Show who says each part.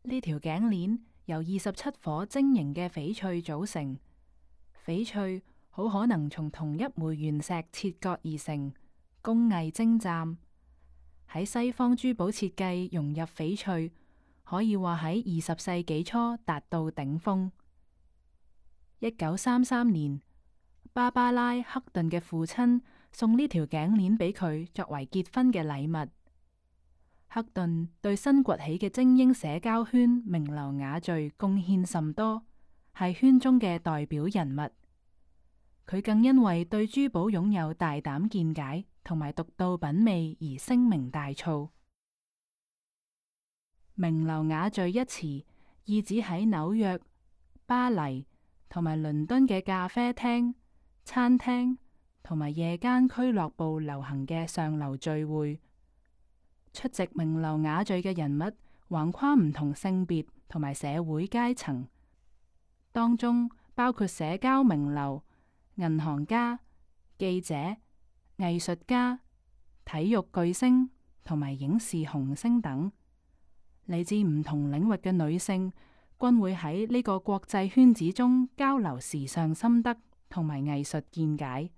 Speaker 1: 呢條頸鏈由27顆晶瑩嘅翡翠組成，翡翠好可能從同一枚原石切割而成，工藝精湛。喺西方珠寶設計融入翡翠，可以話喺20世紀初達到頂峰。1933年，芭芭拉·克頓嘅父親送呢條頸鏈俾佢作為結婚嘅禮物。克頓對新崛起嘅精英社交圈名流雅聚貢獻甚多，係圈中嘅代表人物。佢更因為對珠寶擁有大膽見解同埋獨到品味而聲名大噪。名流雅聚一詞意指喺紐約、巴黎同埋倫敦嘅咖啡廳、餐廳同埋夜間俱樂部流行嘅上流聚會。出席名流雅聚嘅人物橫跨唔同性別同埋社會階層，當中包括社交名流、銀行家、記者、藝術家、體育巨星同埋影視紅星等。嚟自唔同領域嘅女性均會喺呢個國際圈子中交流時尚心得同埋藝術見解。